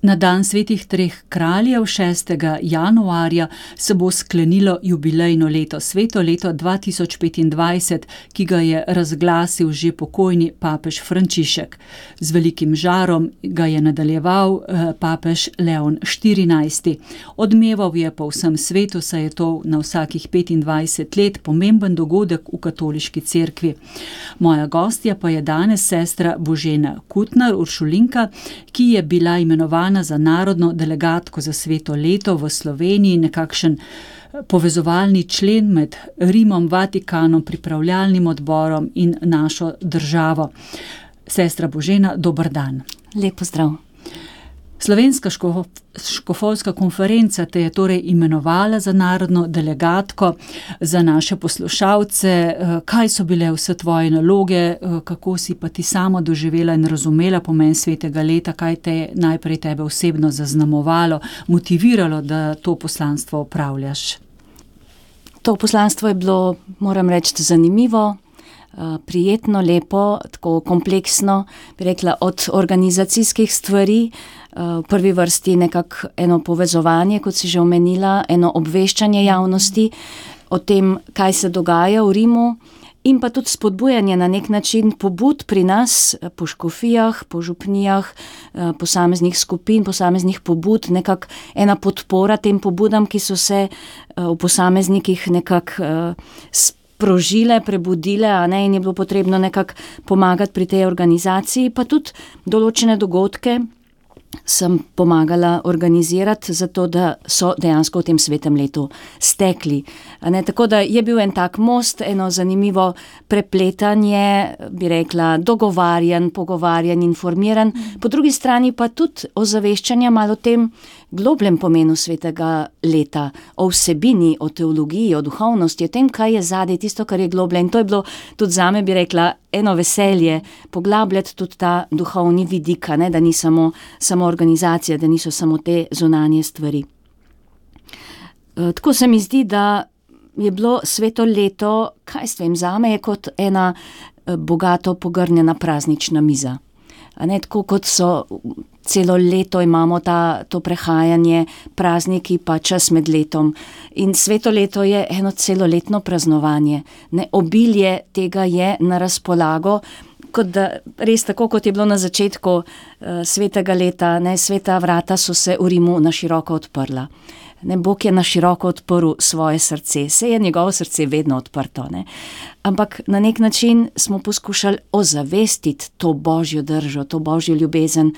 Na dan svetih treh kraljev 6. januarja se bo sklenilo jubilejno leto, sveto leto 2025, ki ga je razglasil že pokojni papež Frančišek. Z velikim žarom ga je nadaljeval papež Leon XIV. Odmeval je po vsem svetu, saj je to na vsakih 25 let pomemben dogodek v katoliški cerkvi. Moja gostja pa je danes sestra Božena Kutnar, uršulinka, ki je bila imenovana za narodno delegatko za sveto leto v Sloveniji, nekakšen povezovalni člen med Rimom, Vatikanom, pripravljalnim odborom in našo državo. Sestra Božena, dober dan. Lep pozdrav. Slovenska škofovska konferenca te je torej imenovala za narodno delegatko. Za naše poslušalce, kaj so bile vse tvoje naloge, kako si pa ti sama doživela in razumela pomen svetega leta, kaj te je najprej tebe osebno zaznamovalo, motiviralo, da to poslanstvo opravljaš? To poslanstvo je bilo, moram reči, zanimivo, prijetno, lepo, tako kompleksno, bi rekla, od organizacijskih stvari, v prvi vrsti nekako eno povezovanje, kot si že omenila, eno obveščanje javnosti o tem, kaj se dogaja v Rimu, in pa tudi spodbujanje na nek način pobud pri nas, po škofijah, po župnijah, posameznih skupin, posameznih pobud, nekako ena podpora tem pobudam, ki so se v posameznikih nekako sprožile, prebudile, a ne, in je bilo potrebno nekako pomagati pri tej organizaciji, pa tudi določene dogodke sem pomagala organizirati, zato da so dejansko v tem svetem letu stekli. Tako da je bil en tak most, eno zanimivo prepletanje, bi rekla, dogovarjan, pogovarjan, informiran, po drugi strani pa tudi ozaveščanja malo o tem globljem pomenu svetega leta, o vsebini, o teologiji, o duhovnosti, o tem, kaj je zadaj, tisto, kar je globlje. In to je bilo tudi zame, bi rekla, eno veselje, poglabljati tudi ta duhovni vidik, ne, da ni samo organizacija, da niso samo te zunanje stvari. Tako se mi zdi, da je bilo sveto leto, kaj s tem, zame je kot ena bogato pogrnjena praznična miza. Tako kot so celo leto imamo to prehajanje, prazniki pa čas med letom. In sveto leto je eno celoletno praznovanje. Obilje tega je na razpolago, kot da res tako, kot je bilo na začetku svetega leta, sveta vrata so se v Rimu na široko odprla. Bog je na široko odprl svoje srce, se je njegovo srce vedno odprto, ampak na nek način smo poskušali ozavestiti to božjo držo, to božjo ljubezen,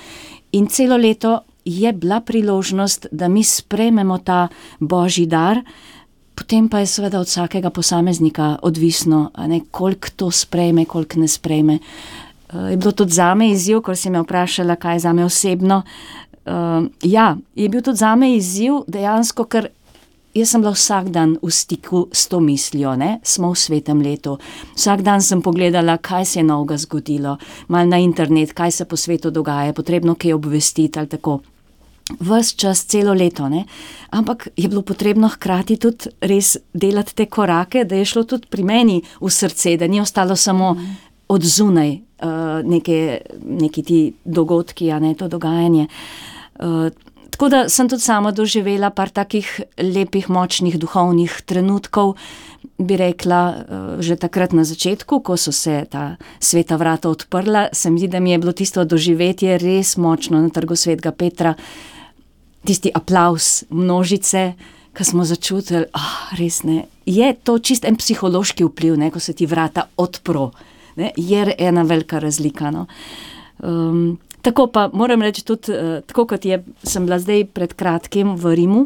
in celo leto je bila priložnost, da mi sprejmemo ta božji dar, potem pa je seveda od vsakega posameznika odvisno, koliko to sprejme, koliko ne sprejme. Je bilo tudi zame izziv, ko si me vprašala, kaj je zame osebno. Je bil tudi zame izziv dejansko, ker jaz sem bila vsak dan v stiku s to mislijo, smo v svetem letu. Vsak dan sem pogledala, kaj se je novega zgodilo, malo na internet, kaj se po svetu dogaja, potrebno kaj obvestiti ali tako. Ves čas, celo leto, ampak je bilo potrebno hkrati tudi res delati te korake, da je šlo tudi pri meni v srce, da ni ostalo samo od zunaj neki ti dogodki, to dogajanje. Tako da sem tudi sama doživela par takih lepih, močnih duhovnih trenutkov, bi rekla, že takrat na začetku, ko so se ta sveta vrata odprla, se mi zdi, da mi je bilo tisto doživetje res močno na Trgu svetega Petra, tisti aplavz množice, ko smo začutili, res ne, je to čist en psihološki vpliv, ko se ti vrata odpro, je ena velika razlika, Tako pa moram reči tudi, tako kot sem bila zdaj pred kratkim v Rimu,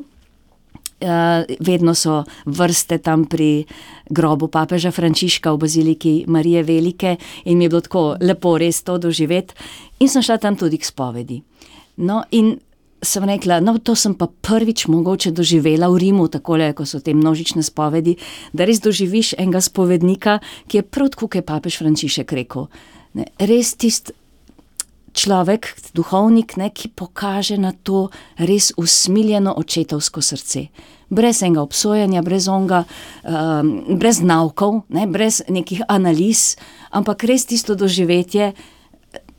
vedno so vrste tam pri grobu papeža Frančiška v baziliki Marije Velike in mi je bilo tako lepo res to doživeti in sem šla tam tudi k spovedi. In sem rekla, to sem pa prvič mogoče doživela v Rimu, takole, ko so te množične spovedi, da res doživiš enega spovednika, ki je prav tako, kot je papež Frančišek rekel. Res tisti človek, duhovnik, ki pokaže na to res usmiljeno očetovsko srce. Brez enega obsojanja, brez naukov, brez nekih analiz, ampak res tisto doživetje,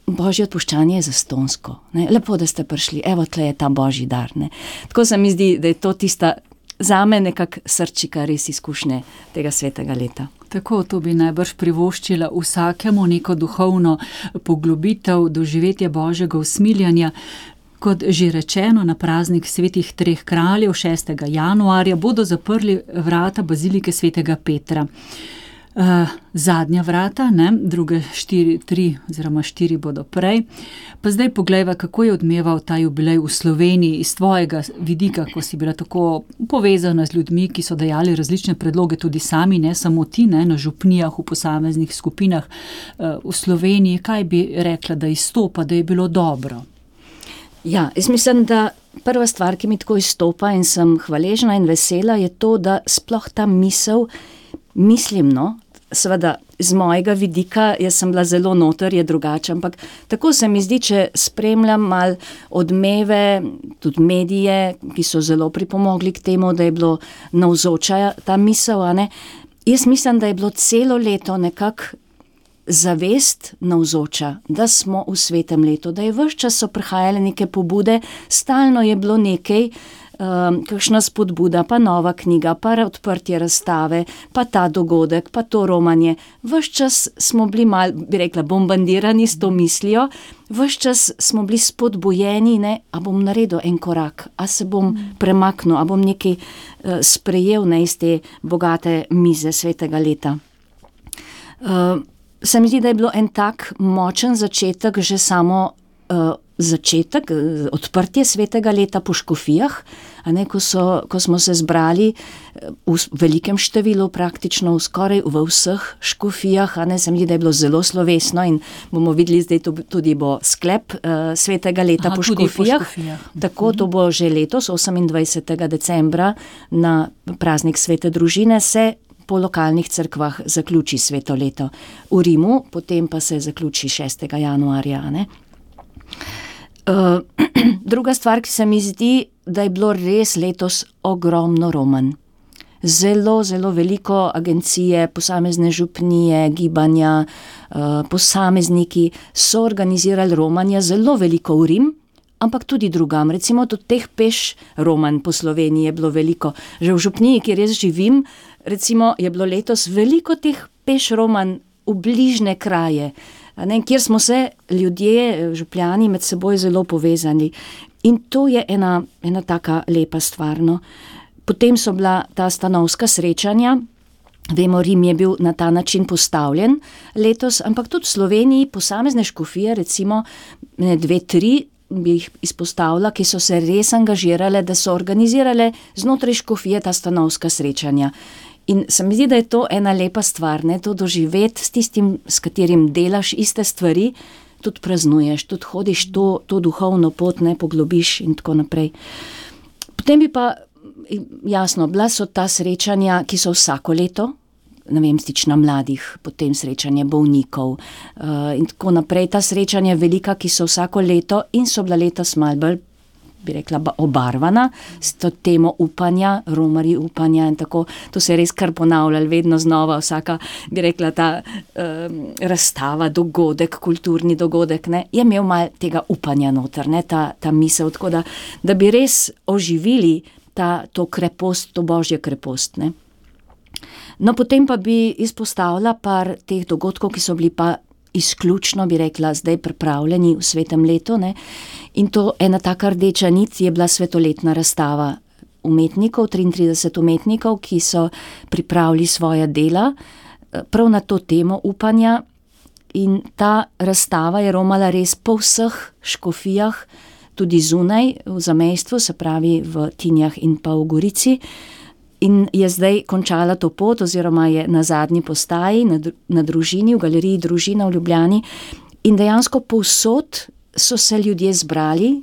božje odpuščanje je zastonjsko. Ne? Lepo, da ste prišli, evo, tle je ta božji dar. Ne? Tako se mi zdi, da je to tista zame nekak srčika res izkušnje tega svetega leta. Tako, to bi najbrž privoščila vsakemu neko duhovno poglobitev, doživetje božjega usmiljanja. Kot že rečeno, na praznik svetih treh kraljev 6. januarja bodo zaprli vrata bazilike svetega Petra. Zadnja vrata, ne, druge 4 bodo prej. Pa zdaj poglejva, kako je odmeval ta jubilej v Sloveniji iz tvojega vidika, ko si bila tako povezana z ljudmi, ki so dajali različne predloge, tudi sami, ne samo ti, ne, na župnijah, v posameznih skupinah v Sloveniji. Kaj bi rekla, da izstopa, da je bilo dobro? Ja, jaz mislim, da prva stvar, ki mi tako izstopa in sem hvaležna in vesela, je to, da sploh ta misel, mislim, seveda z mojega vidika, jaz sem bila zelo noter, je drugače, ampak tako se mi zdi, če spremljam mal odmeve, tudi medije, ki so zelo pripomogli k temu, da je bilo navzoča ta misel, a ne. Jaz mislim, da je bilo celo leto nekako zavest navzoča, da smo v svetem letu, da je ves čas so prihajale neke pobude, stalno je bilo nekaj, kakšna spodbuda, pa nova knjiga, pa odprtje razstave, pa ta dogodek, pa to romanje. Ves čas smo bili mal, bi rekla, bombardirani s to mislijo, ves čas smo bili spodbujeni, ne, a bom naredil en korak, a se bom premaknil, a bom nekaj sprejel, ne, iz te bogate mize svetega leta. Se mi zdi, da je bilo en tak močen začetek, že samo začetek, odprtje svetega leta po škofijah, a ne, ko smo se zbrali v velikem številu, praktično skoraj v vseh škofijah, a ne, se mi zdi, da je bilo zelo slovesno in bomo videli, zdaj tudi bo sklep svetega leta po škofijah. Tako, to bo že letos, 28. decembra, na praznik svete družine se po lokalnih cerkvah zaključi sveto leto. V Rimu, potem pa se zaključi 6. januarja. Ne? Druga stvar, ki se mi zdi, da je bilo res letos ogromno romanj. Zelo, zelo veliko agencije, posamezne župnije, gibanja, posamezniki so organizirali romanja, zelo veliko v Rim, ampak tudi drugam. Recimo tudi teh peš romanj po Sloveniji je bilo veliko. Že v župniji, kjer jaz živim, recimo je bilo letos veliko teh peš romanj v bližne kraje, ne, kjer smo se ljudje, župljani, med seboj zelo povezani. In to je ena taka lepa stvar. No. Potem so bila ta stanovska srečanja. Vemo, Rim je bil na ta način postavljen letos, ampak tudi v Sloveniji posamezne škofije, recimo 2-3, bi jih izpostavila, ki so se res angažirale, da so organizirale znotraj škofije ta stanovska srečanja. In se mi zdi, da je to ena lepa stvar, ne, to doživeti s tistim, s katerim delaš iste stvari, tudi praznuješ, tudi hodiš to duhovno pot, ne, poglobiš in tako naprej. Potem bi pa, jasno, bila so ta srečanja, ki so vsako leto, ne vem, stična mladih, potem srečanje bolnikov in tako naprej. Ta srečanja velika, ki so vsako leto in so bila letos malo bolj, bi rekla, obarvana s to temo upanja, romarji upanja in tako. To se je res kar ponavljalo vedno znova, vsaka, bi rekla, ta razstava, dogodek, kulturni dogodek, ne, je imel malo tega upanja noter, ne, ta misel, tako da bi res oživili to krepost, to božje krepost, ne. No, potem pa bi izpostavila par teh dogodkov, ki so bili pa izključno, bi rekla, zdaj pripravljeni v svetem letu, ne. In to ena taka rdeča nit je bila svetoletna razstava umetnikov, 33 umetnikov, ki so pripravili svoja dela prav na to temo upanja. In ta razstava je romala res po vseh škofijah, tudi zunaj v zamejstvu, se pravi v Tinjah in pa v Gorici. In je zdaj končala to pot, oziroma je na zadnji postaji, na Družini, v galeriji Družina v Ljubljani. In dejansko povsod so se ljudje zbrali,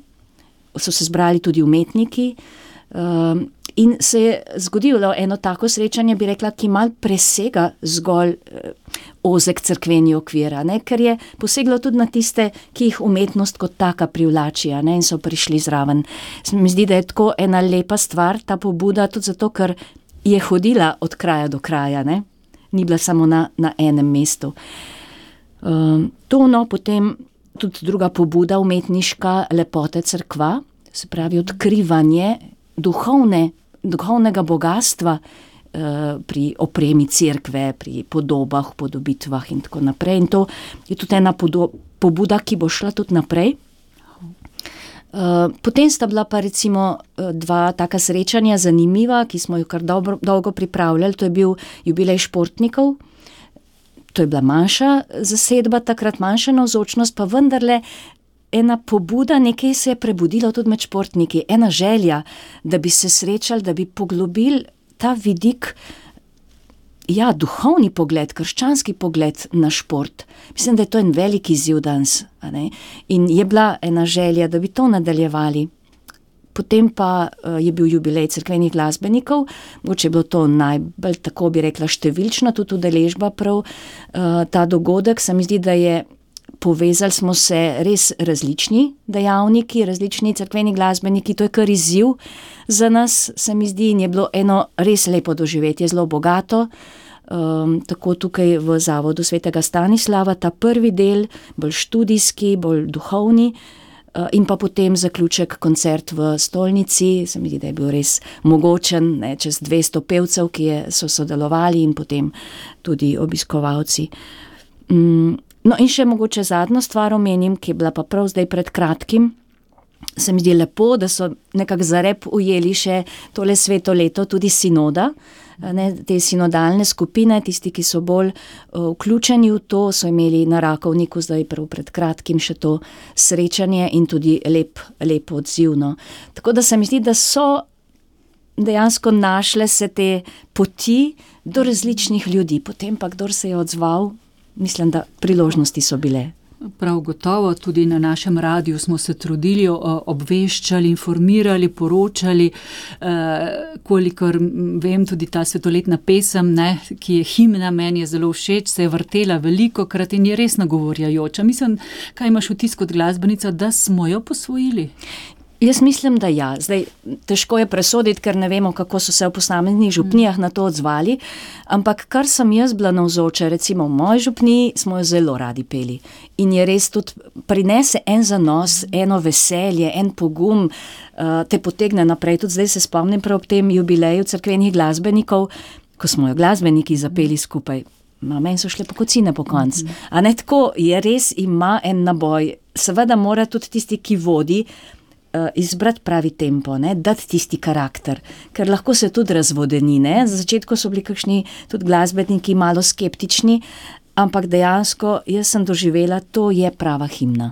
so se zbrali tudi umetniki, in se je zgodilo eno tako srečanje, bi rekla, ki malo presega zgolj ozek cerkveni okvir, ne, ker je poseglo tudi na tiste, ki jih umetnost kot taka privlači, ne, in so prišli zraven. Mi zdi, da je tako ena lepa stvar, ta pobuda, tudi zato, ker je hodila od kraja do kraja, ne, ni bila samo na enem mestu. Potem tudi druga pobuda umetniška, lepote cerkva, se pravi odkrivanje duhovnega bogastva pri opremi cerkve, pri podobah, podobitvah in tako naprej. In to je tudi ena pobuda, ki bo šla tudi naprej. Potem sta bila pa recimo dva taka srečanja zanimiva, ki smo jo kar dolgo pripravljali. To je bil jubilej športnikov. To je bila manjša zasedba, takrat manjša navzočnost, pa vendarle ena pobuda, nekaj se je prebudilo tudi med športniki, ena želja, da bi se srečali, da bi poglobili ta vidik, duhovni pogled, krščanski pogled na šport. Mislim, da je to en velik izziv danes, a ne? In je bila ena želja, da bi to nadaljevali. Potem pa je bil jubilej cerkvenih glasbenikov, mogoče je bilo to najbolj, tako bi rekla, številčno, tudi udeležba prav ta dogodek. Se mi zdi, da je povezali smo se res različni dejavniki, različni cerkveni glasbeniki, to je kar izziv za nas, se mi zdi, in je bilo eno res lepo doživetje, zelo bogato. Tako tukaj v Zavodu svetega Stanislava, ta prvi del, bolj študijski, bolj duhovni, in pa potem zaključek koncert v Stolnici, se mi zdi, da je bil res mogočen, čez 200 pevcev, ki so sodelovali in potem tudi obiskovalci. No in še mogoče zadnjo stvar omenim, ki je bila pa prav zdaj pred kratkim. Se mi zdi lepo, da so nekako za rep ujeli še tole sveto leto, tudi sinoda, te sinodalne skupine, tisti, ki so bolj vključeni v to, so imeli na Rakovniku zdaj prav pred kratkim še to srečanje in tudi lep odziv. Tako da se mi zdi, da so dejansko našle se te poti do različnih ljudi, potem pa kdor se je odzval, mislim, da priložnosti so bile. Prav gotovo, tudi na našem radiju smo se trudili, obveščali, informirali, poročali, kolikor vem, tudi ta svetoletna pesem, ki je himna, meni je zelo všeč, se je vrtela velikokrat in je res nagovorjajoča. Mislim, kaj imaš vtis kot glasbenica, da smo jo posvojili? Jaz mislim, da ja. Zdaj, težko je presoditi, ker ne vemo, kako so se v posameznih župnijah na to odzvali, ampak kar sem jaz bila navzoča, recimo v moji župniji smo jo zelo radi peli in je res tudi prinese en zanos, eno veselje, en pogum, te potegne naprej. Tudi zdaj se spomnim prav ob tem jubileju cerkvenih glasbenikov, ko smo jo glasbeniki zapeli skupaj. Meni so šle pokocine po koncu. A ne tako, je res, ima en naboj. Seveda mora tudi tisti, ki vodi, izbrati pravi tempo, dati tisti karakter, ker lahko se tudi razvodeni. Za začetku so bili kakšni tudi glasbeniki malo skeptični, ampak dejansko jaz sem doživela, to je prava himna,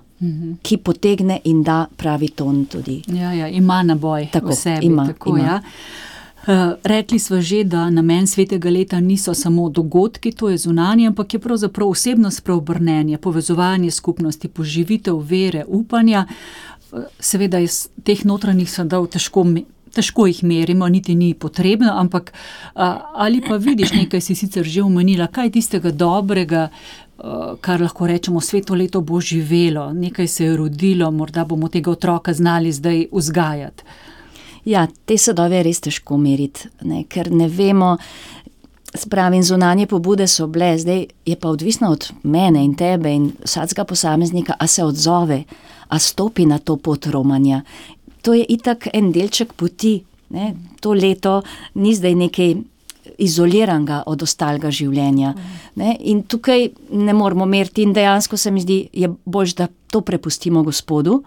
ki potegne in da pravi ton tudi. Ja, ima naboj v sebi. Ima. Ja. Rekli smo že, da namen svetega leta niso samo dogodki, to je zunanje, ampak je pravzaprav osebnost preobrnenje, povezovanje skupnosti, poživitev vere, upanja. Seveda iz teh notranjih sadov težko jih merimo, niti ni potrebno, ampak ali pa vidiš, nekaj si sicer že omenila, kaj tistega dobrega, kar lahko rečemo, sveto leto bo živelo, nekaj se je rodilo, morda bomo tega otroka znali zdaj vzgajati. Ja, te sadove je res težko meriti, ker ne vemo, spravim, zunanje pobude so bile, zdaj je pa odvisno od mene in tebe in vsakega posameznika, a se odzove, a stopi na to pot romanja. To je itak en delček poti, to leto ni zdaj nekaj izoliranega od ostalega življenja. In tukaj ne moramo meriti in dejansko se mi zdi, je boljše, da to prepustimo Gospodu.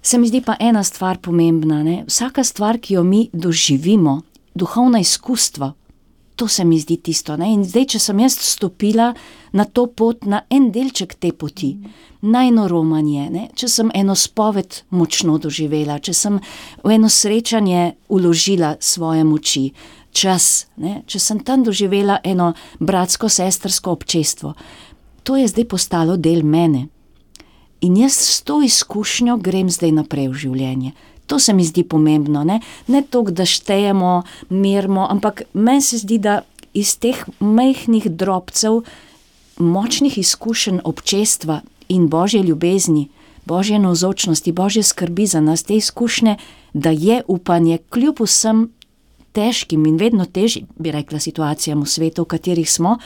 Se mi zdi pa ena stvar pomembna, vsaka stvar, ki jo mi doživimo, duhovna izkustva, to se mi zdi tisto. In zdaj, če sem jaz stopila na to pot, na en delček te poti, najno romanje, če sem eno spoved močno doživela, če sem v eno srečanje vložila svoje moči, čas, če sem tam doživela eno bratsko-sestrsko občestvo, to je zdaj postalo del mene. In jaz s to izkušnjo grem zdaj naprej v življenje. To se mi zdi pomembno, ne toliko, da štejemo, merimo, ampak meni se zdi, da iz teh majhnih drobcev, močnih izkušenj občestva in Božje ljubezni, Božje navzočnosti, Božje skrbi za nas, te izkušnje, da je upanje kljub vsem težkim in vedno težjim, bi rekla, situacijam v svetu, v katerih smo,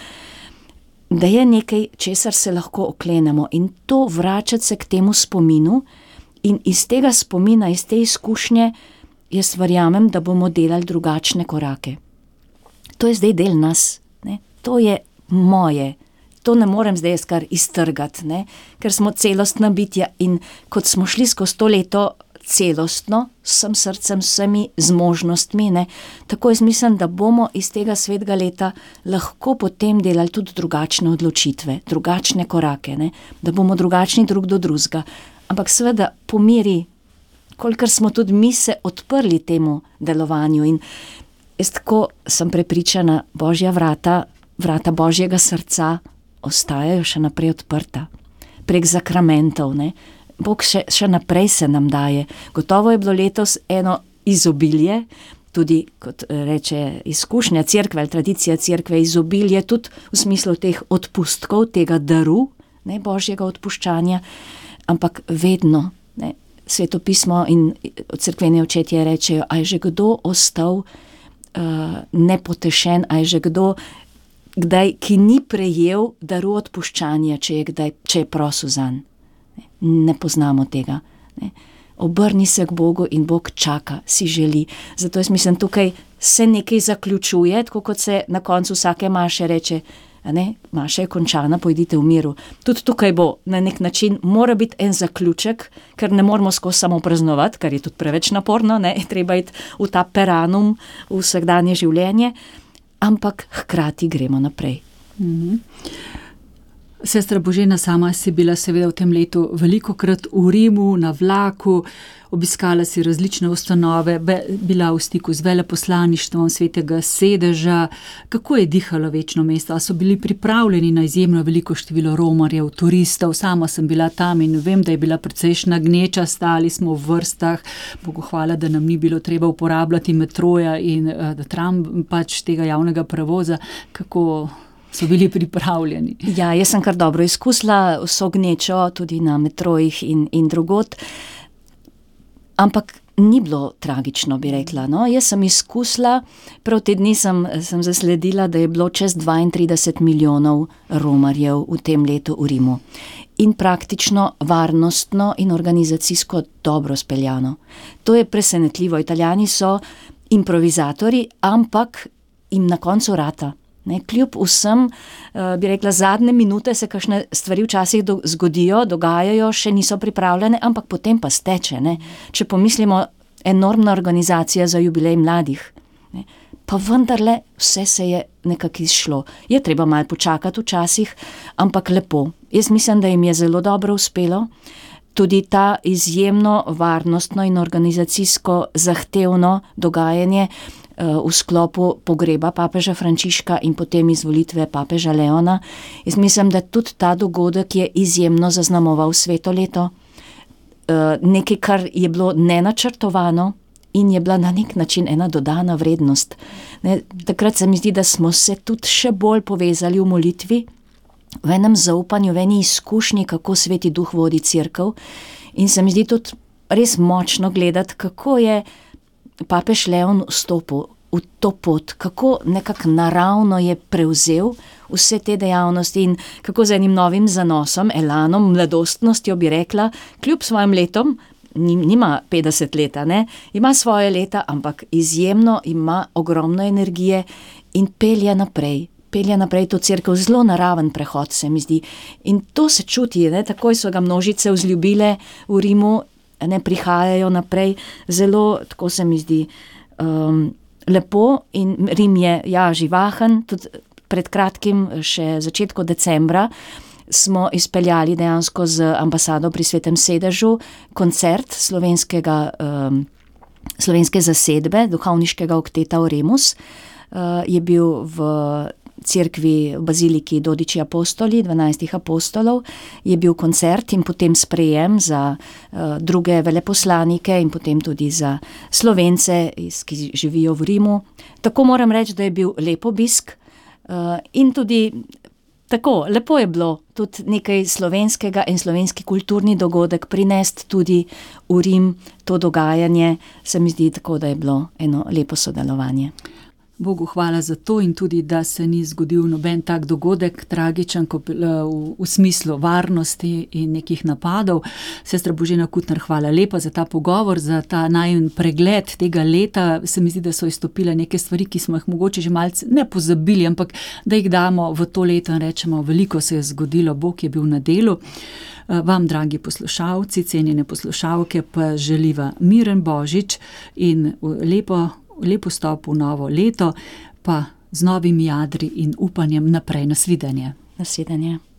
da je nekaj, česar se lahko oklenemo in to vračati se k temu spominu in iz tega spomina, iz te izkušnje, jaz verjamem, da bomo delali drugačne korake. To je zdaj del nas, ne? To je moje, to ne morem zdaj jaz kar iztrgati, ne? Ker smo celostna bitja in kot smo šli skozi to leto celostno, s vsem srcem, vsemi zmožnostmi, ne? Tako jaz mislim, da bomo iz tega svetega leta lahko potem delali tudi drugačne odločitve, drugačne korake, ne? Da bomo drugačni drug do drugega. Ampak seveda po meri, kolikor smo tudi mi se odprli temu delovanju in jaz tako sem prepričana, Božja vrata Božjega srca ostajajo še naprej odprta. Prek zakramentov, ne. Bog še naprej se nam daje. Gotovo je bilo letos eno izobilje, tudi, kot reče izkušnja cerkve ali tradicija cerkve, izobilje tudi v smislu teh odpustkov, tega daru, ne, Božjega odpuščanja, ampak vedno, ne, Svetopismo in cerkveni očetje rečejo, a je že kdo ostal nepotešen, a je že kdo, kdaj, ki ni prejel daru odpuščanja, če je prosil zanj. Ne poznamo tega. Ne. Obrni se k Bogu in Bog čaka, si želi. Zato jaz mislim, tukaj se nekaj zaključuje, tako kot se na koncu vsake maše reče, ne, maša je končana, pojdite v miru. Tudi tukaj bo na nek način, mora biti en zaključek, ker ne moramo skozi samo praznovati, kar je tudi preveč naporno, ne, treba iti v ta peranum, v vsakdanje življenje, ampak hkrati gremo naprej. Sestra Božena, sama si bila seveda v tem letu velikokrat v Rimu, na vlaku, obiskala si različne ustanove, bila v stiku z veleposlaništvom Svetega sedeža. Kako je dihalo večno mesto? A so bili pripravljeni na izjemno veliko število romarjev, turistov? Sama sem bila tam in vem, da je bila precejšna gneča, stali smo v vrstah. Bogu hvala, da nam ni bilo treba uporabljati metroja in da tram pač tega javnega prevoza. Kako so bili pripravljeni? Ja, jaz sem kar dobro izkusila vso gnečo, tudi na metrojih in drugod. Ampak ni bilo tragično, bi rekla. No? Jaz sem izkusila, prav te dni sem zasledila, da je bilo čez 32 milijonov romarjev v tem letu v Rimu. In praktično varnostno in organizacijsko dobro speljano. To je presenetljivo. Italijani so improvizatori, ampak jim na koncu rata. Ne, kljub vsem, bi rekla, zadnje minute se kakšne stvari včasih zgodijo, dogajajo, še niso pripravljene, ampak potem pa steče. Ne. Če pomislimo, enormna organizacija za jubilej mladih. Ne. Pa vendarle vse se je nekako izšlo. Je treba malo počakati včasih, ampak lepo. Jaz mislim, da jim je zelo dobro uspelo. Tudi ta izjemno varnostno in organizacijsko zahtevno dogajanje v sklopu pogreba papeža Frančiška in potem izvolitve papeža Leona. Jaz mislim, da tudi ta dogodek je izjemno zaznamoval sveto leto. Nekaj, kar je bilo nenačrtovano in je bila na nek način ena dodana vrednost. Ne, takrat se mi zdi, da smo se tudi še bolj povezali v molitvi, v enem zaupanju, v eni izkušnji, kako Sveti Duh vodi cerkev. In se mi zdi tudi res močno gledati, kako je papež Leon vstopil v to pot, kako nekako naravno je prevzel vse te dejavnosti in kako z enim novim zanosom, elanom, mladostnostjo, bi rekla, kljub svojim letom, nima 50 leta, ne, ima svoje leta, ampak izjemno ima ogromno energije in pelje naprej to cerkev, zelo naraven prehod, se mi zdi. In to se čuti, ne, takoj so ga množice vzljubile v Rimu, ne, prihajajo naprej, zelo, tako se mi zdi, lepo in Rim je, ja, živahen, tudi pred kratkim, še začetku decembra, smo izpeljali dejansko z ambasado pri Svetem sedežu koncert slovenske zasedbe, duhovniškega okteta Oremus, je bil v cerkvi v baziliki Dodiči apostoli, 12 apostolov, je bil koncert in potem sprejem za druge veleposlanike in potem tudi za Slovence, ki živijo v Rimu. Tako moram reči, da je bil lep obisk in tudi tako, lepo je bilo tudi nekaj slovenskega in slovenski kulturni dogodek prinesti tudi v Rim, to dogajanje, se mi zdi tako, da je bilo eno lepo sodelovanje. Bogu hvala za to in tudi, da se ni zgodil noben tak dogodek, tragičen, v smislu varnosti in nekih napadov. Sestra Božena Kutner, hvala lepa za ta pogovor, za ta najin pregled tega leta. Se mi zdi, da so izstopile neke stvari, ki smo jih mogoče že malce ne pozabili, ampak da jih damo v to leto in rečemo, veliko se je zgodilo, Bog je bil na delu. Vam, dragi poslušalci, cenjene poslušalke, pa želiva miren Božič in lep vstop v novo leto, pa z novimi jadri in upanjem naprej. Nasvidenje. Nasvidenje.